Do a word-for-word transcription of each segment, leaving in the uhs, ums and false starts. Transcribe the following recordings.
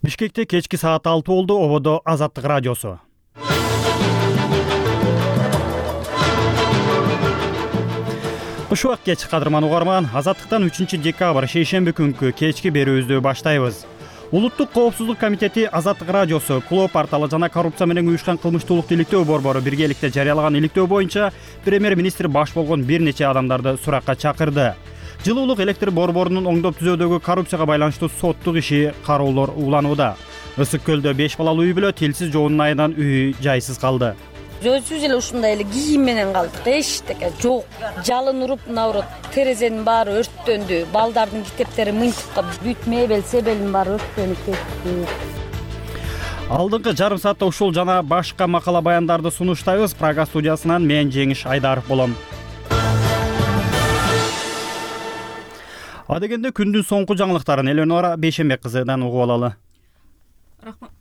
Бишкекте кечки саат алты болду. Ободо Азаттык радиосу. Ушул кеч кадырман угарман, Азаттыктан үчүнчү декабрь шейшемби күнкү кечки берүүбүздү баштайбыз. Улуттук коопсуздук комитети Азаттык радиосу, Клоо порталы жана коррупция менен уюшкан кылмыштуулук иликтөө борбору биргеликте жарыялаган иликтөө боюнча премьер-министр баш болгон бир нече адамдарды суракка чакырды. Жылуулук электр борборунун оңдоп түзөөдөгү коррупцияга байланыштуу соттук иши кароолор уланууда. Ысык көлдө беш балалуу үй бүлө тилсиз жоонун айынан үй жайсыз калды. Өзүбүз эле ушундай эле кийим менен калдык. Эчтеке жок. Жалын уруп, наоборот, терезенин баары өрттөндү. Балдардын китептери мынтип калып, бүт мебель, себелдин баары өрттөнүп кетти. Алдыңкы жарым саатта ушул жана башка макала баяндарды сунуштайбыз. Прага студиясынан мен Жеңиш Айдаров болом. Адегенде күндүн соңку жаңылыктарын Эленора Бейшембек кызыдан угуп алалы. Рахмат.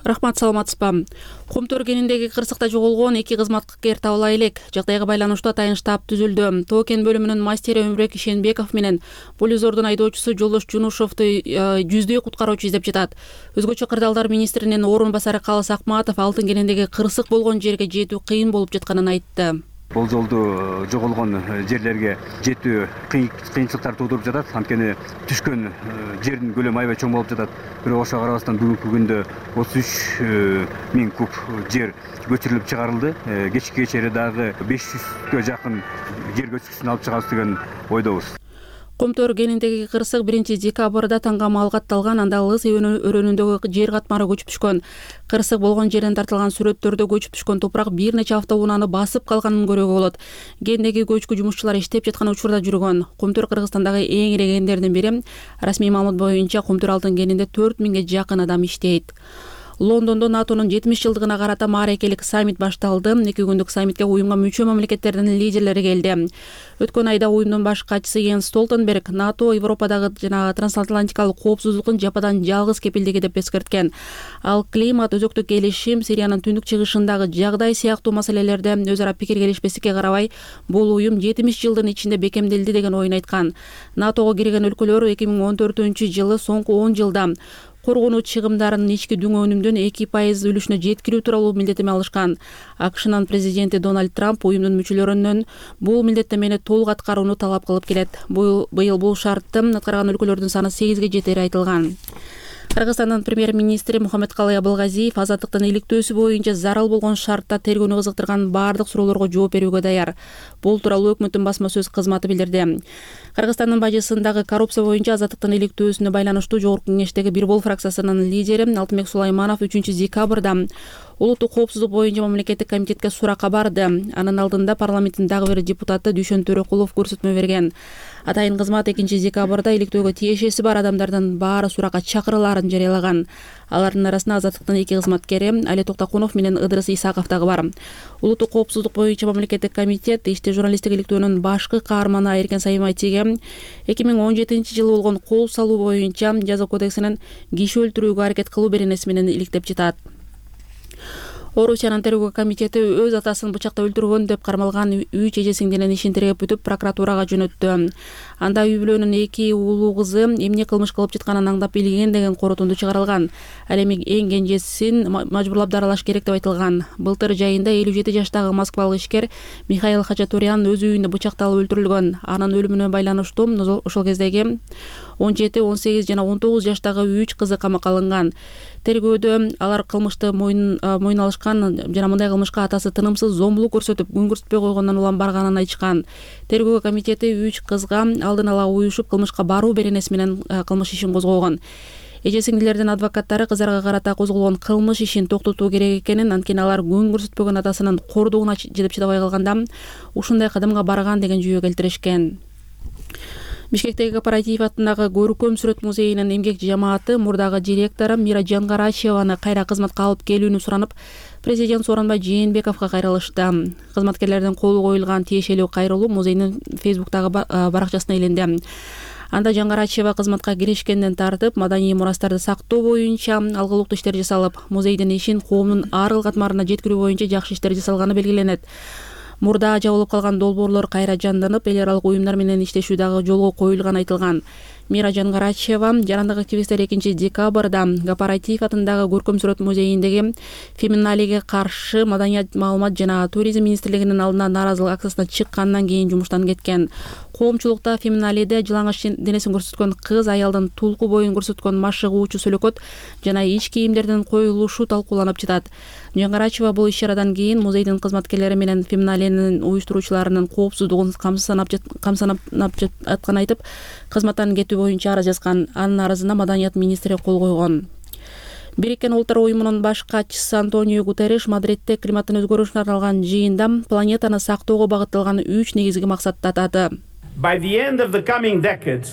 Рахмат, саламатсызбы? Комтөр кениндеги кырсыкта жоголгон эки кызматкер табыла элек. Жагдайга байланыштуу атайын штаб түзүлдү. Тоо кен бөлүмүнүн мастери Өмүрбек Ишенбеков менен Полизордун айдоочусу Жолдош Жунушовду жүздөй куткаруучу издеп жатат. Өзгөчө кырдаалдар министринин орун басары Калыс Акматов алтын кениндеги кырсык болгон жерге жетүү кыйын болуп жатканын айтты. Бул жолду жоголгон жерлерге жетүү кыйынчылыктар туудуруп жатат. Анткени түшкөн жердин көлөмү аябай чоң болуп жатат. Бирок ошого карабастан бүгүнкү күндө отуз үч миң куб жер көчүрүлүп чыгарылды. Кечки кечери дагы беш жүзгө жакын жер көчкүсүн алып чыгабыз деген ойдобуз. Комтөр кениндеги кырсык биринчи декабрда таңгамал катталган. Анда Лыс өрөөнүндөгү жер катмары көчүп түшкөн. Кырсык болгон жерден тартылган сүрөттөрдө көчүп түшкөн топурак бир нече автоунааны басып калганын көрүүгө болот. Кендеги көчкү жумушчулар иштеп жаткан учурда жүргөн. Комтөр Кыргызстандагы эң ири кендердин бири. Расмий маалымат боюнча Комтөр алтын кенинде төрт миңге жакын адам иштейт. Лондондо НАТОнун жетимиш жылдыгына карата мааракелик саммит башталды. Эки күндүк саммитке уюмга мүчө мамлекеттердин лидерлери келди. Өткөн айда уюмдун баш катчысы Йенс Столтенберг НАТО Европадагы жана трансатлантикалык коопсуздуктун жападан жалгыз кепилдиги деп эскерткен. Ал климат, өзөктүк келишим, Сириянын түндүк чыгышындагы жагдай сыяктуу маселелерде өз ара пикир келишпестикке карабай, бул уюм жетимиш жылдын ичинде бекемделди деген оюн айткан. НАТОго кирген өлкөлөр эки миң он төртүнчү жылы соңку он жылда коргонуу чыгымдарынын ички дүң өнүмдөн эки пайыз үлүшүнө жеткирүү тууралуу милдеттеме алышкан. АКШнын президенти Дональд Трамп уюмдун мүчөлөрүнөн бул милдеттемени толук аткарууну талап кылып келет. Быйыл бул шартты аткарган өлкөлөрдүн саны сегизге жетери айтылган. Кыргызстандын премьер-министри Мухаммедкалый Абылгазиев азаттыктын иликтөөсү боюнча зарыл болгон шартта тергөөнү кызыктырган баардык суроолорго жооп берүүгө даяр. Бул тууралуу өкмөттүн басма сөз кызматы билдирди. Кыргызстандын бажысындагы коррупция боюнча азаттыктын иликтөөсүнө байланыштуу Жогорку Кеңештеги Бир Бол фракциясынын лидери Алтынбек Сулайманов үчүнчү декабрда улуттук коопсуздук боюнча мамлекеттик комитетке суракка барды. Анын алдында парламенттин дагы бир депутаты Дүйшөн Төрөкулов көрсөтмө берген. Атайын кызмат экинчи декабрда иликтөөгө тиешеси бар адамдардын баары суракка чакырылаарын жарыялаган. Алардын арасында азаттыктын эки кызматкери Али Токтокунов менен Ыдырыс Исаков дагы бар. Улуттук коопсуздук боюнча мамлекеттик комитет иште журналисттик иликтөөнүн башкы каарманы Эркен Саймайтиге эки миң он жетинчи жылы болгон кол салуу боюнча жаза кодексинин киши өлтүрүүгө аракет кылуу беренеси менен иликтеп жатат. Орусиянын тергөө комитети өз атасын бычакта өлтүргөн деп кармалган үч эже сиңдинин ишин тергеп бүтүп прокуратурага жөнөттү. Анда үй бүлөнүн эки уулу кызы эмне кылмыш кылып жатканын аңдап билген деген корутунду чыгарылган. Ал эми эң кенжесин мажбурлап даралаш керек деп айтылган. Былтыр жайында элүү жети жаштагы москвалык ишкер Михаил Хачатурян өз үйүндө бычакталып өлтүрүлгөн. Анын өлүмүнө байланыштуу ошол кездеги он жети, он сегиз жана он тогуз жаштагы үч кызы камакка алынган. Тергөөдө алар кылмышты мойын мойын алышкан жана мындай кылмышка атасы тынымсыз зомбулук көрсөтүп, күн көрсөтпөй койгондон улам барганын айтышкан. Тергөө комитети үч кызга алдын ала уюшуп кылмышка баруу беренеси менен кылмыш ишин козгогон. Эже сиңдилердин адвокаттары кыздарга карата козголгон кылмыш ишин токтотуу керек экенин, анткени алар күн көрсөтпөгөн атасынын кордугуна жетип чыдабай калганда ушундай кадамга барган деген жүйө келтиришкен. Бишкектеги Кооператив атындагы Көркөм сүрөт музейинин эмгек жамааты мурдагы директору Мира Жангарачеваны кайра кызматка алып келүүнү суранып, президент Сооронбай Жээнбековго кайрылышты. Кызматкерлердин колу коюлган тиешелүү кайрылуу музейдин Фейсбуктагы баракчасына иленди. Анда Жангарачева кызматка киришкенден тартып, маданий мурастарды сактоо боюнча алгылыктуу иштер жасалып, музейдин ишин коомдун ар ыл катмарына жеткирүү боюнча жакшы иштер жасалганы белгиленет. Мурда жабылып калган долбоорлор кайра жандынып, эл аралык уюмдар менен иштешүү дагы жолго коюлганы айтылган. Мира Жангарачева. Жарандык активисттер экинчи декабрда Кооператив атындагы көркөм сүрөт музейиндеги феминалиге каршы Маданият, маалымат жана туризм министрлигинин алдына нааразылык акциясына чыккандан кийин жумуштан кеткен. Коомчулукта феминалиде жылаңач денесин көрсөткөн кыз, аялдын тулку боюн көрсөткөн машыгуучу сүлөкөт жана ич кийимдердин коюлушу талкууланып жатат. Жангарачева бул иш-чарадан кийин музейдин кызматкерлери менен феминалинин уюштуруучуларынын коопсуздугун камсанап камсанап атканын айтып, кызматтан кетүү боюнча арыз жазган. Анын арызына Маданият министри кол койгон. Бириккен Улуттар уюмунун баш катчысы Антонио Гутерриш Мадридте климаттын өзгөрүшүнө арналган жыйында планетаны сактоого багытталган үч негизги максатты атады. By the end of the coming decade,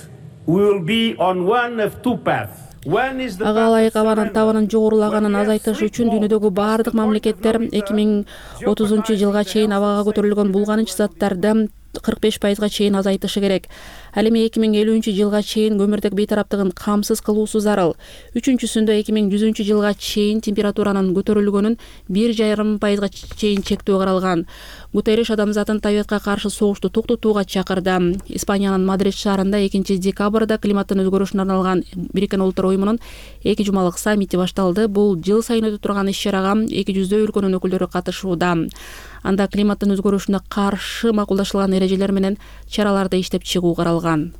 we will be on one of two paths. Ага ылайык абанын табанын жогорулаганын азайтыш үчүн дүйнөдөгү баардык мамлекеттер эки миң отузунчу жылга чейин абага көтөрүлгөн булганыч заттарды кырк беш пайызга чейин азайтышы керек. Ал эми эки миң элүүнчү жылга чейин көмүрдүк бейтараптыгын камсыз кылуусу зарыл. Үчүнчүсүндө эки миң жүзүнчү жылга чейин температуранын көтөрүлгөнүн бир жарым пайызга чейин чектөө каралган. Гутерриш адамзаттын табиатка каршы согушту токтотууга чакырды. Испаниянын Мадрид шаарында экинчи декабрда климаттын өзгөрүшүнө арналган Бириккен Улуттар уюмунун эки жумалык саммити башталды. Бул жыл сайын өтүп турган иш-чарага эки жүздөй өлкөнүн өкүлдөрү катышууда. Анда климаттын өзгөрүшүнө каршы макулдашылган эрежелер менен чараларды иштеп чыгуу каралган.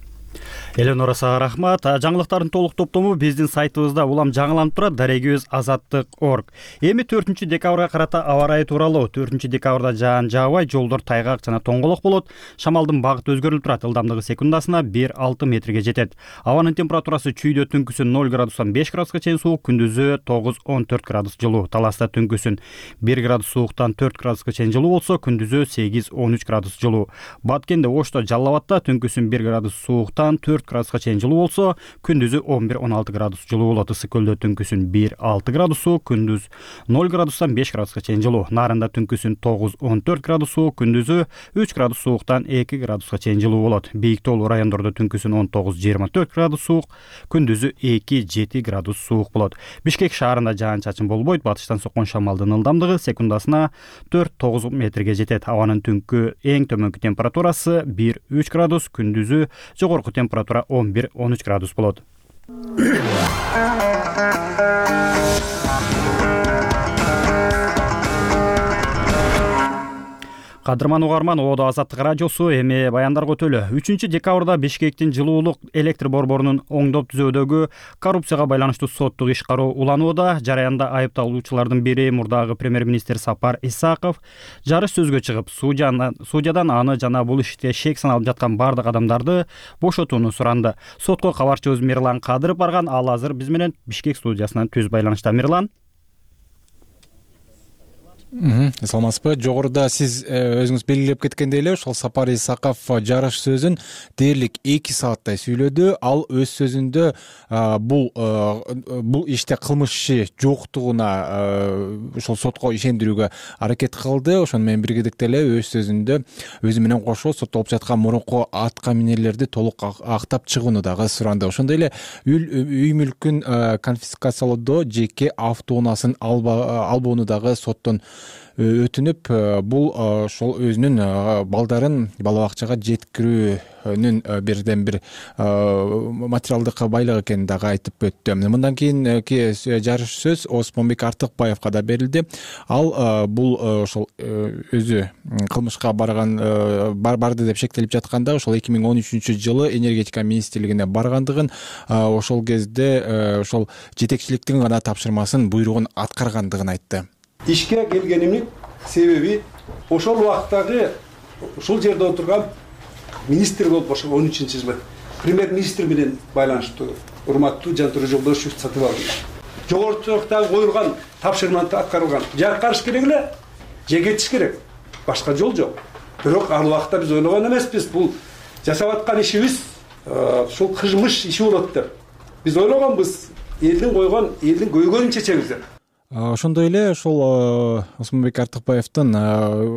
Эленора сага рахмат. Жаңылыктардын толук топтому биздин сайтыбызда улам жаңыланып турат. Дарегибиз азаттык точка орг. Эми төртүнчү декабрга карата аба ырайы тууралуу. төртүнчү декабрда жаан жаабай, жолдор тайгак жана тоңголок болот. Шамалдын багыты өзгөрүлүп турат. Ылдамдыгы секундасына бир алты метрге жетет. Абанын температурасы чүйдө түнкүсүн ноль градустан беш градуска чейин суук, күндүзү тогуз он төрт градус жылуу. Таласта түнкүсүн бир градус сууктан төрт градуска чейин жылуу болсо, күндүзү сегиз он үч градус жылуу. Баткенде, Ошто, Жалал Абадта түнкүсүн бир градус сууктан төрт градуска чейин жылуу болсо, күндүзү он бир он алты градус жылуу болот. Ысык көлдө түнкүсүн бир алты градус суук, күндүз ноль градустан беш градуска чейин жылуу. Нарында түнкүсүн тогуз он төрт градус суук, күндүзү үч градус сууктан эки градуска чейин жылуу болот. Бийик тоолуу райондордо түнкүсүн он тогуз жыйырма төрт градус суук, күндүзү эки жети градус суук болот. Бишкек шаарында жаан-чачын болбойт. Батыштан соккон шамалдын ылдамдыгы секундасына төрт тогуз метрге жетет. Абанын түнкү эң төмөнкү температурасы бир үч градус, күндүзү жогорку температура он бир он үч градус болот. Кадырман угарман, Оодо Азаттык радиосу эми баяндар көтөлө. үчүнчү декабрда Бишкектин жылуулук электр борборунун оңдоп түзөөдөгү коррупцияга байланыштуу соттук иш кароо уланууда. Жараянда айыпталуучулардын бири мурдагы премьер-министр Сапар Исаков жарыш сөзгө чыгып, судьядан аны жана бул иште шек саналып жаткан бардык адамдарды бошотууну суранды. Сотко кабарчыбыз Мирлан Кадыров барган. Ал азыр биз менен Бишкек студиясынан түз байланышта. Мирлан. Саламатсызбы? Жогоруда сиз өзүңүз белгилеп кеткендей эле, ошол Сапар Исаков жарыш сөзүн дээрлик эки сааттай сүйлөдү. Ал өз сөзүндө бул бул иште кылмыш иши жоктугуна ошол сотко ишендирүүгө аракет кылды. Ошону менен биргеликте эле өз сөзүндө өзү менен кошо соттолуп жаткан мурунку атка минерлерди толук актап чыгууну дагы суранды. Ошондой эле үй мүлкүн конфискациялоодо жеке автоунаасын албоону дагы соттон өтүнүп, бул ошол өзүнүн балдарын бала бакчага жеткирүүнүн бирден бир материалдык байлык экенин дагы айтып өттү. Мындан кийинки жарыш сөз Осмонбек Артыкбаевга да берилди. Ал бул ошол өзү кылмышка барган барды деп шектелип жатканда, ошол эки миң он үчүнчү жылы энергетика министрлигине баргандыгын, ошол кезде ошол жетекчиликтин гана тапшырмасын, буйругун аткаргандыгын айтты. Ишке келгенимдин себеби ошол убактагы ушул жерде отурган министр болуп, ошол он үчүнчү жылы премьер-министр менен байланыштуу урматтуу Жантура Жолдошев сатып алды. Жогорудагы коюлган тапшырманы аткарылган. Же карыш керек эле, же кетиш керек. Башка жол жок. Бирок ал убакта биз ойлогон эмеспиз, бул жасап аткан ишибиз ушул кылмыш иши болот деп. Биз ойлогонбуз, элдин койгон, элдин көйгөйүн чечебиз деп. Ошондой эле ошол Осмонбек Артыкбаевдин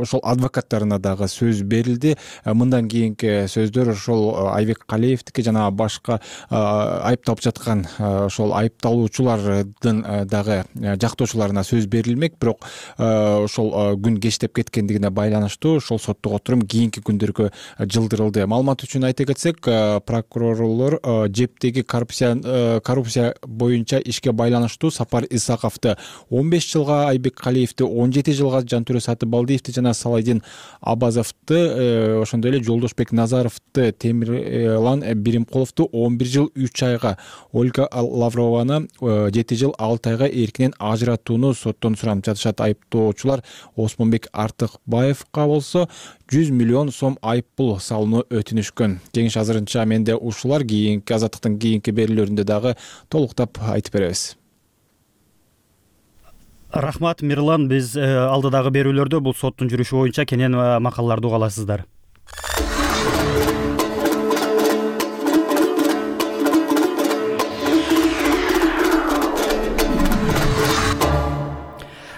ошол адвокаттарына дагы сөз берилди. Мындан кийинки сөздөр ошол Айбек Калиевдики жана башка айыпталып жаткан ошол айыпталуучулардын дагы жактоочуларына сөз берилмек. Бирок ошол күн кечтеп кеткендигине байланыштуу ошол соттук отурум кийинки күндөргө жылдырылды. Маалымат үчүн айта кетсек, прокурорлор жептеги коррупция коррупция боюнча ишке байланыштуу Сапар Исаковду он беш жылга, Айбек Калиевди он жети жылга, Жантүрө Сатыбалдиевди жана Салайдин Абазовду, ошондой эле Жолдошбек Назаровду, Темирлан Биримкуловду он бир жыл үч айга, Ольга Лаврованы жети жыл алты айга эркинен ажыратууну соттон сурап жатышат. Айыптоочулар Осмонбек Артыкбаевга болсо жүз миллион сом айып пул салууну өтүнүшкөн. Кеңеш азырынча менде ушулар, кийинки азаттыктын кийинки берүүлөрүндө дагы толуктап айтып беребиз. Рахмат Мирлан, биз алдыдагы берүүлөрдө бул соттун жүрүшү боюнча кенен макалаларды уга аласыздар.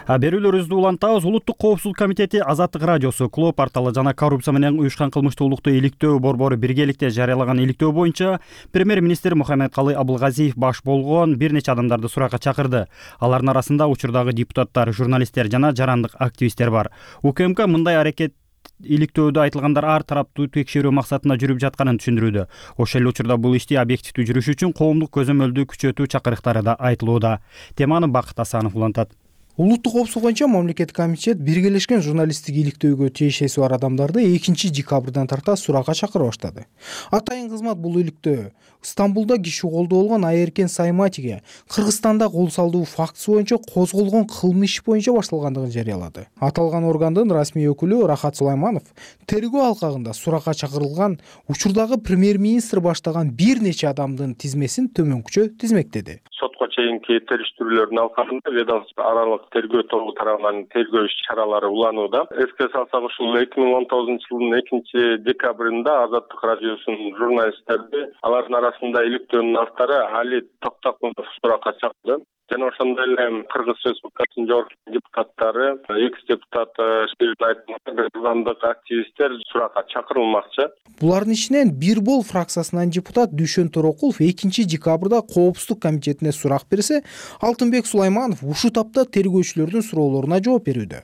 Берүүлөрүбүздү улантабыз. Улуттук коопсуздук комитети, Азаттык радиосу, Клоо порталы жана коррупция менен уюшкан кылмыштуулукту иликтөө борбору биргеликте жарыялаган иликтөө боюнча премьер-министр Мухаммедкалый Абылгазиев баш болгон бир нече адамдарды суракка чакырды. Алардын арасында учурдагы депутаттар, журналисттер жана жарандык активисттер бар. УКМК мындай аракет иликтөөдө айтылгандар ар тараптуу текшерүү максатында жүрүп жатканын түшүндүрүүдө. Ошол эле учурда бул ишти объективдүү жүрүш үчүн коомдук көзөмөлдү күчөтүү чакырыктары да айтылууда. Теманы Бакыт Асанов улантат. Улуттук коопсуздук боюнча мамлекеттик комитет биргелешкен журналисттик иликтөөгө тиешеси бар адамдарды экинчи декабрдан тарта суракка чакыра баштады. Атайын кызмат бул иликтөө Стамбулда киши колдоо болгон Айеркен Сайматиге Кыргызстанда кол салдуу фактысы боюнча козголгон кылмыш боюнча башталгандыгын жарыялады. Аталган органдын расмий өкүлү Рахат Сулайманов тергөө алкагында суракка чакырылган учурдагы премьер-министр баштаган бир нече адамдын тизмесин төмөнкүчө тизмектеди. Сотко чейинки териштирүүлөрдүн алкагында ведомство аралык тергөө тобу тарабынан тергөө иш-чаралары уланууда. Эске салсак, ушул эки миң он тогузунчу жылдын экинчи декабрында Азаттык радиосунун журналисттерди, алардын арасында иликтөөнүн автору Али Токтокунов суракка чакырды. Жана ошондой эле Кыргыз Республикасынын жогорку депутаттары, экс-депутат Шайлайтмандык активисттер суракка чакырылмакчы. Булардын ичинен бир бол фракциясынан депутат Дүйшөн Торокулов экинчи декабрда коопсуздук комитетине сурак берсе, Алтынбек Сулайманов ушул тапта тергөөчүлөрдүн суроолоруна жооп берүүдө.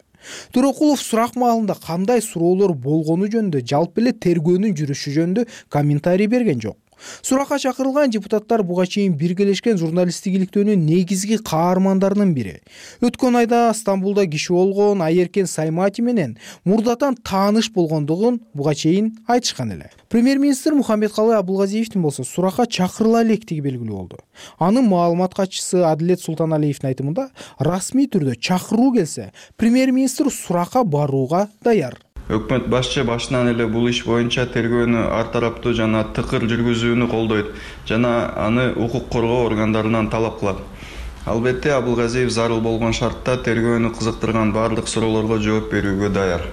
Торокулов сурак маалында кандай суроолор болгону жөнүндө, жалпы эле тергөөнүн жүрүшү жөнүндө комментарий берген жок. Суракка чакырылган депутаттар буга чейин биргелешкен журналисттик иликтөөнүн негизги каармандарынын бири. Өткөн айда Стамбулда киши болгон Айеркен Саймати менен мурдатан тааныш болгондугун буга чейин айтышкан эле. Премьер-министр Мухаммедкалый Абылгазиевдин болсо суракка чакырыла электиги белгилүү болду. Анын маалымат катчысы Адилет Султаналиевдин айтымында, расмий түрдө чакыруу келсе, премьер-министр суракка барууга даяр. Өкмөт башчы башынан эле бул иш боюнча тергөөнү ар тараптуу жана тыкыр жүргүзүүнү колдойт жана аны укук коргоо органдарынан талап кылат. Албетте Абылгазиев зарыл болгон шартта тергөөнү кызыктырган баардык суроолорго жооп берүүгө даяр.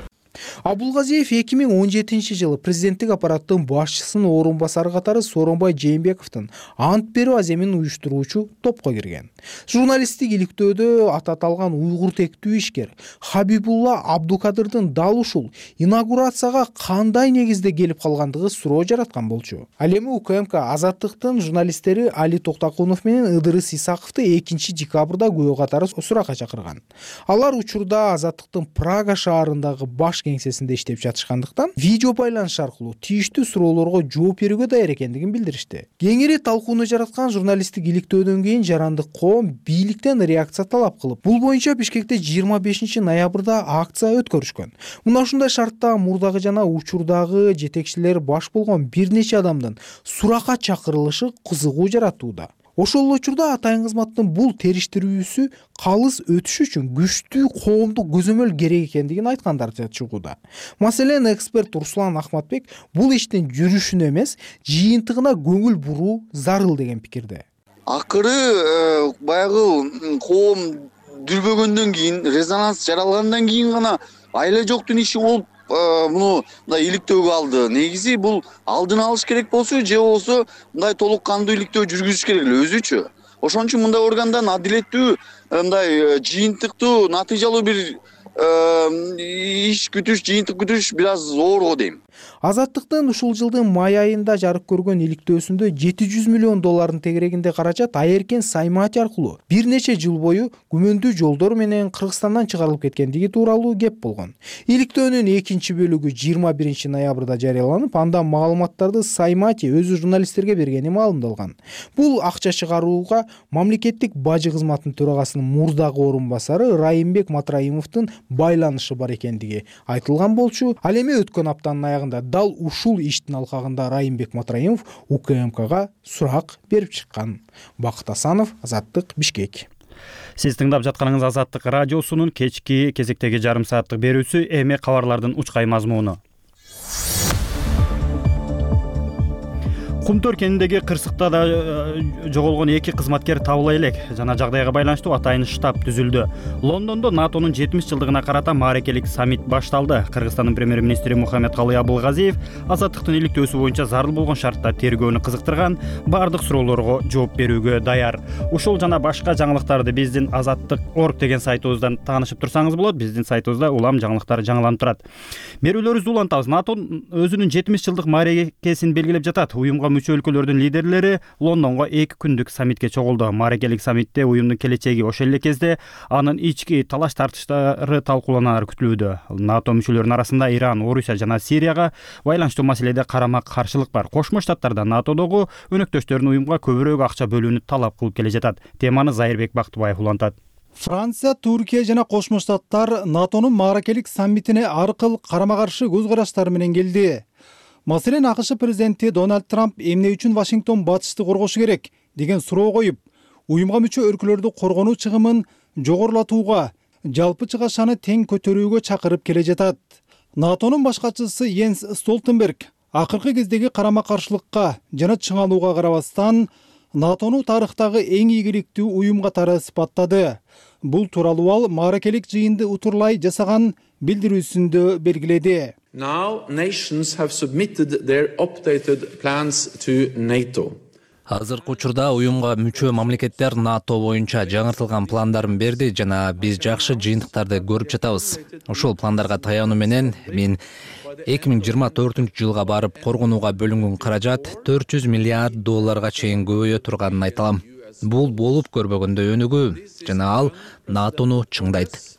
Абылгазиев эки миң он жетинчи жылы президенттик аппараттын башчысынын орун басары катары Сооронбай Жээнбековдун ант берүү аземин уюштуруучу топко кирген. Журналисттик иликтөөдө аты аталган уйгур тектүү ишкер Хабибулла Абдукадырдын дал ушул инаугурацияга кандай негизде келип калгандыгы суроо жараткан болчу. Ал эми УКМК Азаттыктын журналисттери Али Токтокунов менен Ыдырыс Исаковду экинчи декабрда күбө катары суракка чакырган. Алар учурда Азаттыктын Прага шаарындагы баш кеңсесинде иштеп жатышкандыктан видео байланыш аркылуу тийиштүү суроолорго жооп берүүгө даяр экендигин билдиришти. Кеңири талкууну жараткан журналисттик иликтөөдөн кийин жарандык коом бийликтен реакция талап кылып, бул боюнча Бишкекте жыйырма бешинчи ноябрда акция өткөрүшкөн. Мына ушундай шартта мурдагы жана учурдагы жетекчилер баш болгон бир нече адамдын суракка чакырылышы кызыгуу жаратууда. Ошол учурда атайын кызматтын бул териштирүүсү калыс өтүш үчүн күчтүү коомдук көзөмөл керек экендигин айткандар чыгууда. Маселен, эксперт Руслан Ахматбек бул иштин жүрүшүнө эмес, жыйынтыгына көңүл буруу зарыл деген пикирде. Акыры баягы коом дүрбөгөндөн кийин, резонанс жаралгандан кийин гана айла жоктун иши болуп муну мындай иликтөөгө алды. Негизи бул алдын алыш керек болсо, же болсо мындай толук кандуу иликтөө жүргүзүш керек эле өзүчө. ошон үчүн мындай органдан адилеттүү мындай жыйынтыктуу натыйжалуу бир иш күтүш жыйынтык күтүш бир аз зоор го дейм. Азаттыктын ушул жылдын май айында жарык көргөн иликтөөсүндө жети жүз миллион доллардын тегерегинде каражат Айеркен Саймати аркылуу бир нече жыл бою күмөндүү жолдор менен Кыргызстандан чыгарылып кеткендиги тууралуу кеп болгон. Иликтөөнүн экинчи бөлүгү жыйырма биринчи ноябрда жарыяланып, анда маалыматтарды Саймати өзү журналисттерге бергени маалымдалган. Бул акча чыгарууга мамлекеттик бажы кызматынын төрагасынын мурдагы орун басары Райымбек Матраимовдун байланышы бар экендиги айтылган болчу. Ал эми өткөн аптанын аягында дал ушул иштин алкагында Райымбек Матраимов УКМКга сурак берип чыккан. Бакыт Асанов, Азаттык, Бишкек. Сиз тыңдап жатканыңыз Азаттык радиосунун кечки кезектеги жарым сааттык берүүсү. Эми кабарлардын учкай мазмуну. Кумтөр кенидеги кырсыкта да жоголгон эки кызматкер табыла элек. Жана жагдайга байланыштуу атайын штаб түзүлдү. Лондондо натонун жетимиш жылдыгына карата мааракелик саммит башталды. Кыргызстандын премьер-министри Мухаммедкалый Абылгазиев Азаттыктын иликтөөсү боюнча зарыл болгон шартта тергөөнү кызыктырган, бардык суроолорго жооп берүүгө даяр. Ушул жана башка жаңылыктарды биздин азаттык точка орг деген сайтыбыздан таанышып турсаңыз болот. Биздин сайтыбызда улам жаңылыктар жаңыланып турат. Берүүлөрүбүздү улантабыз. НАТО өзүнүн жетимиш жылдык мааракесин белгилеп жатат. Уюмга мүчө өлкөлөрдүн лидерлери Лондонго эки күндүк саммитке чогулду. Мааракелик саммитте уюмдун келечеги ошол эле кезде анын ички талаш тартыштары талкууланаар күтүлүүдө. НАТО мүчөлөрүнүн арасында Иран, Орусия жана Сирияга байланыштуу маселеде карама каршылык бар. Кошмо Штаттарда НАТОдогу өнөктөштөрүн уюмга көбүрөөк акча бөлүүнү талап кылып келе жатат. Теманы Зайырбек Бактыбаев улантат. Франция, Туркия жана Кошмо Штаттар НАТОнун мааракелик саммитине ар кыл карама-каршы көз караштары менен келди. Маселен, АКШ президенти Дональд Трамп эмне үчүн Вашингтон батышты коргошу керек деген суроо коюп, уюмга мүчө өлкөлөрдү коргонуу чыгымын жогорулатууга, жалпы чыгашаны тең көтөрүүгө чакырып келе жатат. НАТОнун баш катчысы Йенс Столтенберг акыркы кездеги карама-каршылыкка жана чыңалууга карабастан НАТОну тарыхтагы эң ийгиликтүү уюм катары сыпаттады. Бул тууралуу ал мааракелик жыйынды утурлай жасаган билдирүүсүндө белгиледи. Now nations have submitted their updated plans to NATO. Азыркы учурда уюмга мүчө мамлекеттер НАТО боюнча жаңыртылган пландарын берди жана биз жакшы жыйынтыктарды көрүп жатабыз. Ошол пландарга таянуу менен мен эки миң жыйырма төртүнчү жылга барып коргонууга бөлүнгөн каражат төрт жүз миллиард долларга чейин көбөйө турганын айта алам. Бул болуп көрбөгөндөй өнүгүү жана ал НАТОну чыңдайт.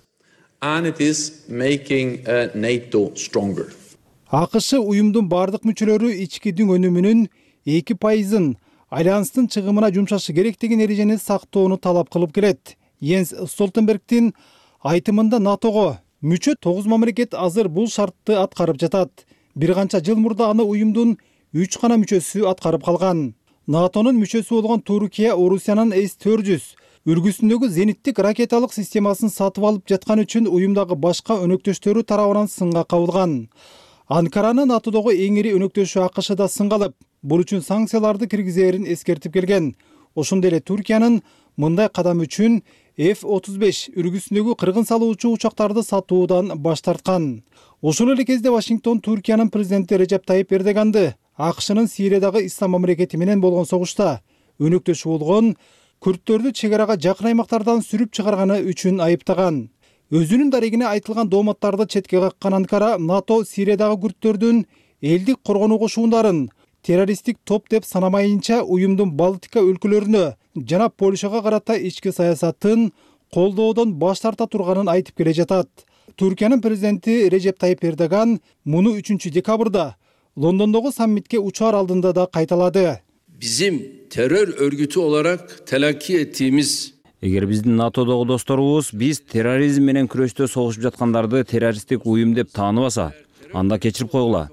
And it is making uh, NATO stronger. АКШ уюмдун бардык мүчөлөрү ичкидин өнүмүнүн эки пайызын альянстын чыгымына жумшашы керек деген эрежени сактоону талап кылып келет. Йенс Столтенбергдин айтымында НАТОго мүчө тогуз мамлекет азыр бул шартты аткарып жатат. Бир канча жыл мурда аны уюмдун үч гана мүчөсү аткарып калган. НАТОнун мүчөсү болгон Туркия Орусиянын эс төрт жүз үргүсүндөгү зениттик ракеталык системасын сатып алып жаткан үчүн уюмдагы башка өнөктөштөрү тарабынан сынга кабылган. Анкаранын НАТОдогу эң ири өнөктөшү АКШ да сынга алып, бул үчүн санкцияларды киргизерин эскертип келген. Ошондой эле Туркиянын мындай кадам үчүн эф отуз беш үргүсүндөгү кыргын салуучу учактарды сатуудан баш тарткан. Ошол эле кезде Вашингтон Туркиянын президенти Режеп Тайип Эрдоганды АКШнын Сириядагы ислам мамлекети менен болгон согушта өнөктөшү болгон күрттөрдү чек арага жакын аймактардан сүрүп чыгарганы үчүн айыптаган. Өзүнүн дарегине айтылган дооматтарды четке каккан Анкара НАТО Сириядагы күрттөрдүн элдик коргонуу кошуундарын террористтик топ деп санамайынча уюмдун Балтика өлкөлөрүнө жана Польшага карата ички саясатын колдоодон баш тарта турганын айтып келе жатат. Туркиянын президенти Режеп Тайип Эрдоган муну үчүнчү декабрда Лондондогу саммитке учаар алдында да кайталады. Bizim terör örgütü olarak telakki ettiğimiz Эгер биздин НАТОдогу досторубуз биз терроризм менен күрөштө согушуп жаткандарды террористтик уюм деп тааныбаса, анда кечирип койгула.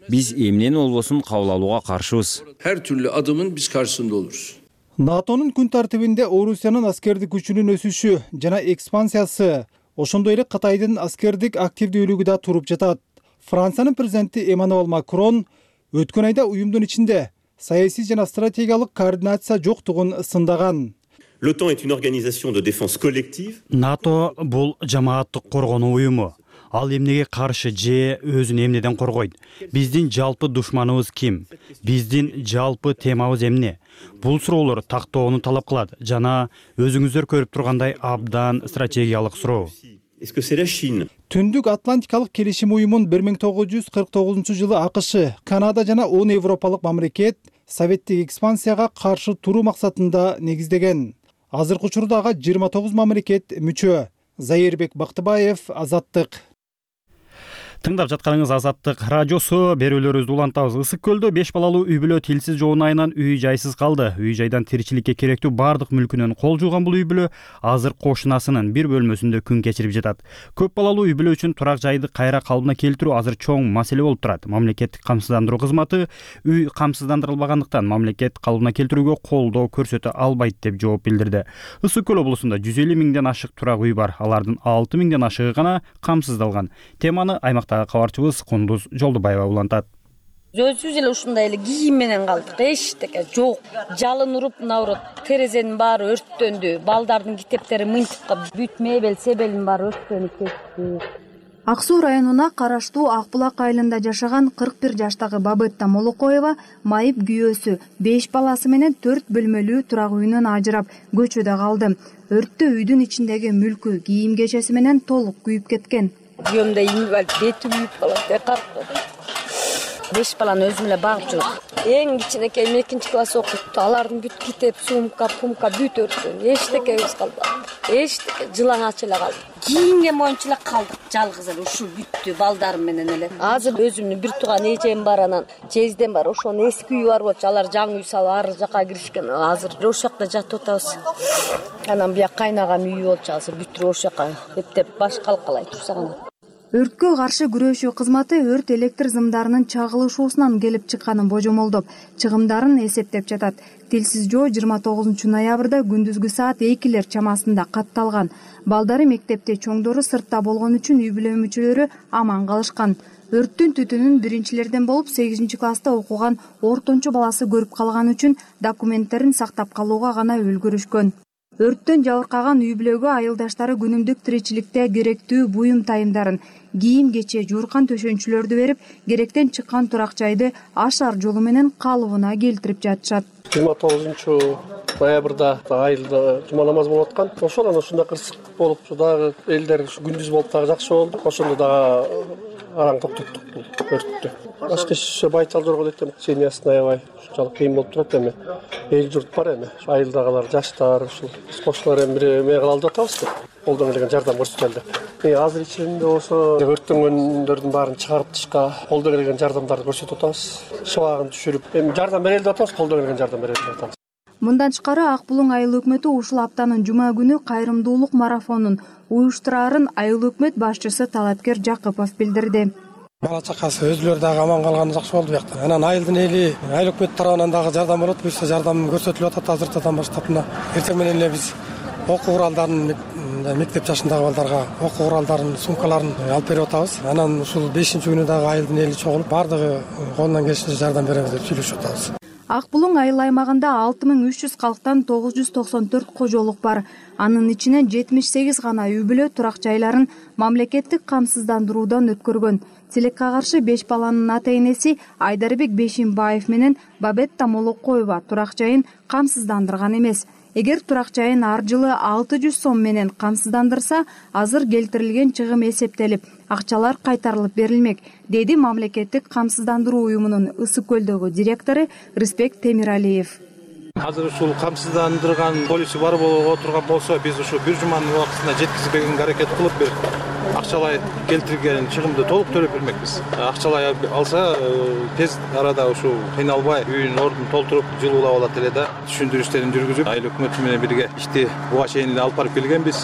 Биз эмнени болбосун кабыл алууга каршыбыз. Her türlü adımın biz karşısında oluruz. НАТОнун күн тартибинде Орусиянын аскердик күчүнүн өсүшү жана экспансиясы, ошондой эле Кытайдын аскердик активдүүлүгү да туруп жатат. Франциянын президенти Эммануэль Макрон өткөн айда уюмдун ичинде саясий жана стратегиялык координация жоктугун сындаган. L'OTAN est une organisation de défense collective. НАТО бул жамааттык коргонуу уюму. ал эмнеге каршы же өзүн эмнеден коргойт? Биздин жалпы душманыбыз ким? Биздин жалпы темабыз эмне? Бул суроолор тактоону талап кылат жана өзүңүздөр көрүп тургандай абдан стратегиялык суроо. Түндүк Атлантикалык келишим уюмун бир миң тогуз жүз кырк тогузунчу жылы АКШ, Канада жана он европалык мамлекет советтик экспансияга каршы туруу максатында негиздеген. Азыркы учурда ага жыйырма тогуз мамлекет мүчө. Зайырбек Бактыбаев, Азаттык. Тыңдап жатканыңыз Азаттык радиосу. Берүүлөрүбүздү улантабыз. Ысык көлдө беш балалуу үй бүлө тилсиз жоонун айынан үй жайсыз калды. Үй жайдан тиричиликке керектүү бардык мүлкүнөн кол жууган бул үй бүлө азыр кошунасынын бир бөлмөсүндө күн кечирип жатат. Көп балалуу үй бүлө үчүн турак жайды кайра калыбына келтирүү азыр чоң маселе болуп турат. Мамлекеттик камсыздандыруу кызматы үй камсыздандырылбагандыктан мамлекет калыбына келтирүүгө колдоо көрсөтө албайт деп жооп билдирди. Ысык көл облусунда жүз элүү миңден ашык турак үй бар. Алардын алты миңден ашыгы гана камсыздалган. Теманы аймакта кабарчыбыз Кундуз Жолдубаева улантат. Өзүбүз эле ушундай эле кийим менен калдык. Эчтеке жок. Жалын уруп, наоборот, терезенин баары өрттөндү. Балдардын китептери мынтыкка бүт мебель, себелин баары өрттөнүп кетти. Ак Суу районуна караштуу Ак Булак айылында жашаган кырк бир жаштагы Бабетта Молокоева майып күйөөсү беш баласы менен төрт бөлмөлүү турак үйүнөн ажырап көчөдө калды. Өрттө үйдүн ичиндеги мүлкү, кийим кечеси менен толук күйүп кеткен. Күйөөмдө инвалид, бети күйүп калат. Беш баланы өзүм эле багып жүрөм. Эң кичинекейим экинчи класс окуйт. Алардын бүт китеп, сумка, пумка бүт өрттөн. Эчтекебиз калды. Эчтеке жылаңач эле калды. Кийинген боюнча эле калдык. Жалгыз эле ушул бүттү балдарым менен эле. Азыр өзүмдүн бир тууган эжем бар, анан жездем бар. Ошонун эски үйү бар болчу. Алар жаңы үй салып ар жака киришкен. Азыр ошол жакта жатып атабыз. Анан бияк кайнагам үйү болчу. Азыр бүттүрүп ошол жака эптеп баш калкалай турсак анан. Өрткө каршы күрөшүү кызматы өрт электр зымдарынын чагылышуусунан келип чыкканын божомолдоп, чыгымдарын эсептеп жатат. Тилсиз жоо жыйырма тогузунчу ноябрда күндүзгү саат экилер чамасында катталган. Балдары мектепте, чоңдору сыртта болгон үчүн үй бүлө мүчөлөрү аман калышкан. Өрттүн түтүнүн биринчилерден болуп сегизинчи класста окуган ортончу баласы көрүп калган үчүн документтерин сактап калууга гана үлгүрүшкөн. Өрттөн жабыркаган үй бүлөгө айылдаштары күнүмдүк тиричиликте керектүү буюм тайымдарын, кийим кече, жууркан төшөнчүлөрдү берип, керектен чыккан турак жайды ашар жолу менен калыбына келтирип жатышат. жыйырма тогузунчу ноябрда айылда жума намаз болуп аткан. Ошол анан ушундай кырсык болуп, дагы элдер күндүз болуп дагы жакшы болду. Ошондо дагы араң токтоттук бул өрттү. Башка иш байчал жорго десем, семьясын аябай ушунчалык кыйын болуп турат эми. Эл журт бар эми. Айылдагылар, жаштар, ушул кошулар эми бир эме кылалып атабыз деп. Колдон келген жардам көрсөтөлдү. Азыр ичинде болсо өрттөнгөндөрдүн баарын чыгарып тышка колдон келген жардамдарды көрсөтүп атабыз. Шыбагын түшүрүп, эми жардам берели деп атабыз, колдон келген жардам берели деп атабыз. Мындан тышкары Ак Булуң айыл өкмөтү ушул аптанын жума күнү кайрымдуулук марафонун уюштурарын айыл өкмөт башчысы Талапкер Жакыпов билдирди. Бала чакасы өзүлөрү дагы аман калганы жакшы болду бияктан. Анан айылдын эли, айыл өкмөт тарабынан дагы жардам болот. Буюрса жардам көрсөтүлүп атат азыртадан баштап. Мына эртең менен эле биз окуу куралдарын, мектеп жашындагы балдарга окуу куралдарын, сумкаларын алып берип атабыз. Анан ушул бешинчи күнү дагы айылдын эли чогулуп, бардыгы колунан келишинче жардам беребиз деп сүйлөшүп атабыз. Ак Булуң айыл аймагында алты миң үч жүз калктан тогуз жүз токсон төрт кожолук бар. Анын ичинен жетимиш сегиз гана үй бүлө турак жайларын мамлекеттик камсыздандыруудан өткөргөн. Тилекке каршы беш баланын ата энеси Айдарбек Бешимбаев менен Бабетта Молокоева турак жайын камсыздандырган эмес. Эгер турак жайын ар жылы алты жүз сом менен камсыздандырса, азыр келтирилген чыгым эсептелип, акчалар кайтарылып берилмек, деди мамлекеттик камсыздандыруу уюмунун Ысык көлдөгү директору Рыспек Темиралиев. Азыр ушул камсыздандырган полису бар болуп турган болсо, биз ушу бир жуманын убактысында жеткизбегенге аракет кылып бир акчалай келтирген чыгымды толук төлөп бермекпиз. Акчалай алса, тез арада ушул кыйналбай үйүнүн ордун толтуруп, жылуулап алат эле да. Түшүндүрүштөрүн жүргүзүп, айыл өкмөтү менен бирге ишти буга чейин эле алып барып келгенбиз.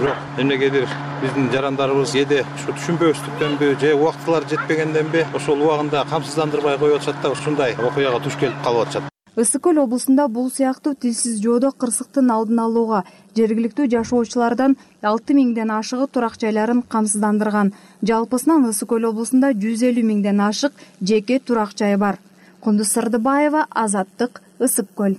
Бирок эмнегедир биздин жарандарыбыз кээде ушу түшүнбөстүктөнбү же убактылары жетпегенденби, ошол убагында камсыздандырбай коюп атышат да, ушундай окуяга туш келип калып атышат. Ысык көл облусунда бул сыяктуу тилсиз жоодо кырсыктын алдын алууга жергиликтүү жашоочулардан алты миңден ашыгы турак жайларын камсыздандырган. Жалпысынан Ысык көл облусунда жүз элүү миңден ашык жеке турак жай бар. Кундуз Сырдыбаева, Азаттык, Ысык көл.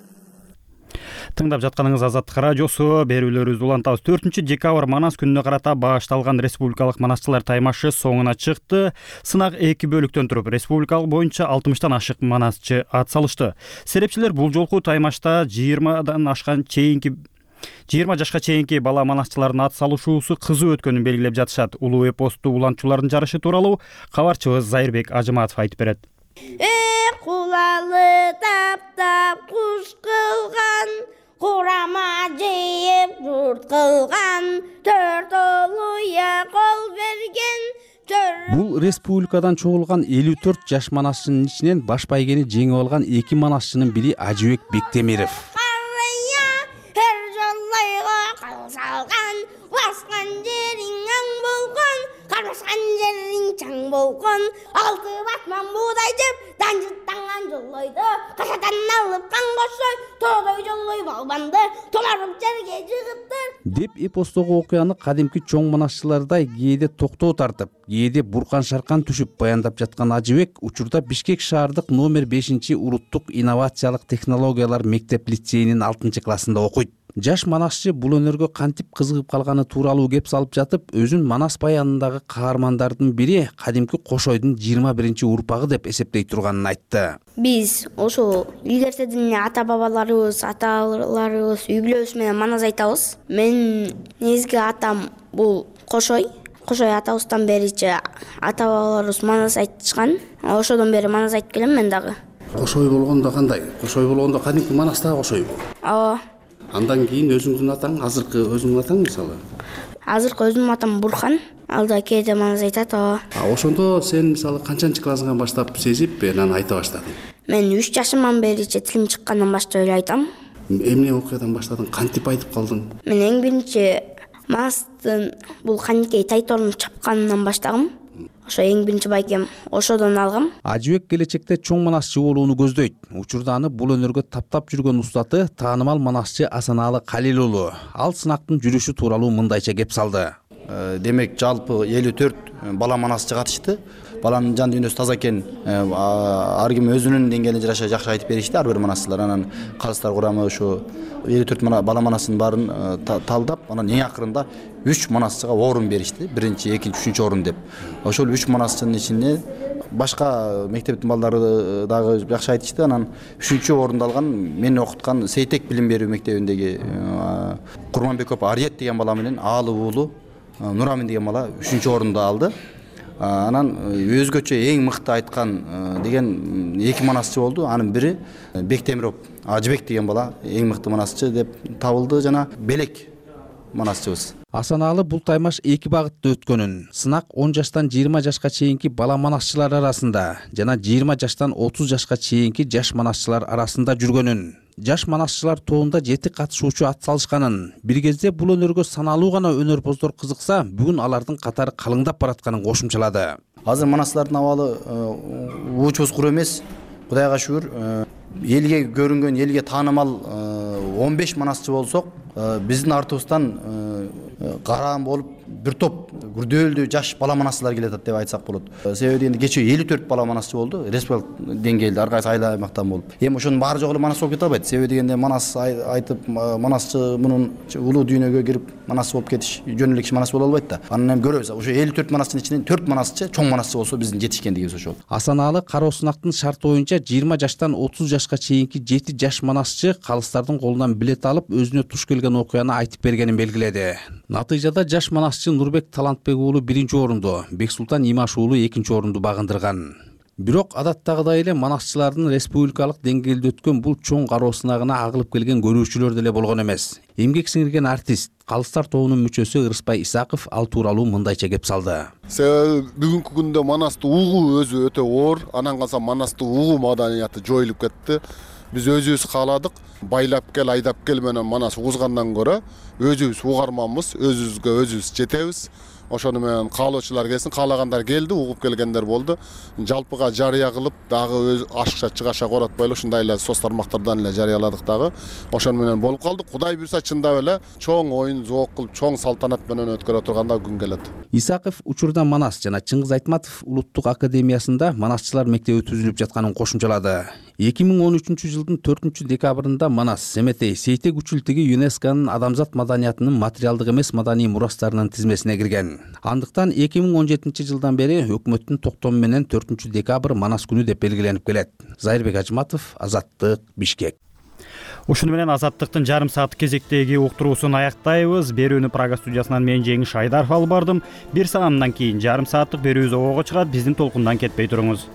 Тыңдап жатканыңыз Азаттык радиосу. Берүүлөрүбүздү улантабыз. төртүнчү декабрь Манас күнүнө карата багышталган республикалык манасчылар таймашы соңуна чыкты. Сынак эки бөлүктөн туруп, республикалык боюнча алтымыштан ашык манасчы ат салышты. Серепчилер бул жолку таймашта жыйырмадан ашкан чейинки жыйырма жашка чейинки бала манасчылардын ат салышуусу кызуу өткөнүн белгилеп жатышат. Улуу эпосту уланчулардын жарышы тууралуу кабарчыбыз Зайырбек Ажыматов айтып берет. Кулалы таптап куш кылган, курама жейип журт кылган, төрт олуя кол берген. Бул республикадан чогулган элүү төрт жаш манасчынын ичинен баш байгени жеңип алган эки манасчынын бири Ажыбек Бектемиров. Her жоллойго кал салган, баскан жериң аң болгон, кармашкан жериң чаң болгон, алты батман буудай жеп, данжыттанган жоллойду, кашадан алып кан кошой, тоодой жоллой балбанды, томарып жерге жыгыптыр. Деп эпостогу окуяны кадимки чоң манасчылардай кээде токтоо тартып, кээде буркан шаркан түшүп баяндап жаткан Ажыбек учурда Бишкек шаардык номер бешинчи улуттук инновациялык технологиялар мектеп лицейинин алтынчы классында окуйт. Жаш манасчы бул өнөргө кантип кызыгып калганы тууралуу кеп салып жатып, өзүн Манас баянындагы каармандардын бири кадимки Кошойдун жыйырма биринчи урпагы деп эсептей турганын айтты. Биз ошо илгертеден ата бабаларыбыз, аталарыбыз үй бүлөбүз менен манас айтабыз. Мен негизги атам бул Кошой. Кошой атабыздан беричи ата бабаларыбыз манас айтышкан. Ошодон бери манас айтып келем мен дагы. Кошой болгондо кандай? Кошой болгондо кадимки Манастагы Кошойбу? Ооба. Андан кийин өзүңүздүн атаң, азыркы өзүңүздүн атаң мисалы? Азыркы өзүмдүн атам Бурхан. Ал да кээде манас айтат. Ооба. А ошондо сен мисалы канчанчы классыңан баштап сезип анан айта баштадың? Мен үч жашымдан бери тилим чыккандан баштап эле айтам. Эмне окуядан баштадың? Кантип айтып калдың? Мен эң биринчи Манастын бул каникей тайторун чапканынан баштагам. Ошо эң биринчи байгем ошодон алгам. Ажыбек келечекте чоң манасчы болууну көздөйт. Учурда аны бул өнөргө таптап жүргөн устаты таанымал манасчы Асаналы Калил уулу. Ал сынактын жүрүшү тууралуу мындайча кеп салды. Демек жалпы элүү төрт бала манасчы катышты. Баланын жан дүйнөсү таза экен. Ар ким өзүнүн деңгээлине жараша жакшы айтып беришти ар бир манасчылар. Анан калыстар курамы ошо элүү төрт бала манасынын баарын талдап, анан эң акырында үч манасчыга орун беришти. Биринчи, экинчи, үчүнчү орун деп. Ошол үч манасчынын ичинде башка мектептин балдары дагы жакшы айтышты. Анан үчүнчү орунду алган мени окуткан Сейтек билим берүү мектебиндеги Курманбеков Ариет деген бала менен Аалы уулу Нурамин деген бала үчүнчү орунду алды. Анан өзгөчө эң мыкты айткан деген эки манасчы болду. Анын бири Бектемиров Ажыбек деген бала эң мыкты манасчы деп табылды жана Белек манасчыбыз. Асаналы бул таймаш эки багытта өткөнүн, сынак он жаштан жыйырма жашка чейинки бала манасчылар арасында жана жыйырма жаштан отуз жашка чейинки жаш манасчылар арасында жүргөнүн, жаш манасчылар тобунда жети катышуучу ат салышканын, бир кезде бул өнөргө саналуу гана өнөрпоздор кызыкса, бүгүн алардын катары калыңдап баратканын кошумчалады. Азыр манасчылардын абалы уучубуз куру эмес. Кудайга шүгүр, элге көрүнгөн, элге таанымал он беш манасчы болсок, биздин артыбыздан караан болуп бир топ күрдөөлүү жаш бала манасчылар келатат деп айтсак болот. Себеби дегенде кечээ элүү төрт бала манасчы болду, республикалык деңгээлде ар кайсы айыл аймактан болуп. Эми ошонун баары жогу эле манас болуп кете албайт. Себеби дегенде манас айтып манасчы мунун улуу дүйнөгө кирип манасчы болуп кетиш жөн эле киши манас боло албайт да. Анан эми көрөбүз, ошо элүү төрт манасчынын ичинен төрт манасчы чоң манасчы болсо биздин жетишкендигибиз ошол. Асаналы кароо сынактын шарты боюнча жыйырма жаштан отуз жашка чейинки жети жаш манасчы калыстардын колунан билет алып өзүнө туш келген окуяны айтып бергенин белгиледи. Натыйжада жаш манасчы Нурбек Талантбек уулу биринчи орунду, Бексултан Имаш уулу экинчи орунду багындырган. Бирок адаттагыдай эле манасчылардын республикалык деңгээлде өткөн бул чоң кароо сынагына агылып келген көрүүчүлөр деле болгон эмес. Эмгек сиңирген артист, Калыстар тобунун мүчөсү Ырыспай Исаков ал тууралуу мындайча кеп салды. Себеби бүгүнкү күндө манасты угуу өзү өтө оор, анан калса манасты угуу маданияты жоюлуп кетти. Биз өзүбүз кааладык, байлап кел, айдап кел менен манас угузгандан көрө өзүбүз угарманбыз, өзүбүзгө өзүбүз жетебиз. Ошону менен каалоочулар келсин, каалагандар келди, угуп келгендер болду. Жалпыга жарыя кылып, дагы өз ашыкша чыгаша коратпайлы ушундай эле соц тармактардан эле жарыяладык дагы. Ошону менен болуп калды. Кудай буйрса чындап эле чоң оюн зоок кылып, чоң салтанат менен өткөрө турганда күн келет. Исаков учурда Манас жана Чыңгыз Айтматов улуттук академиясында манасчылар мектеби түзүлүп жатканын кошумчалады. эки миң он үчүнчү жылдын төртүнчү декабрында Манас, Семетей, Сейтек учултиги ЮНЕСКОнун адамзат маданиятынын материалдык эмес маданий мурастарынын тизмесине кирген. Андыктан эки миң он жетинчи жылдан бери өкмөттүн токтому менен төртүнчү декабрь Манас күнү деп белгиленип келет. Зайырбек Ажматов, Азаттык, Бишкек. Ушуну менен Азаттыктын жарым сааттык кезектеги уктуруусун аяктайбыз. Берүүнү Прага студиясынан мен Жеңиш Айдаров алып бардым. Бир саамдан кийин жарым сааттык берүүбүз обого чыгат. Биздин толкундан кетпей туруңуз.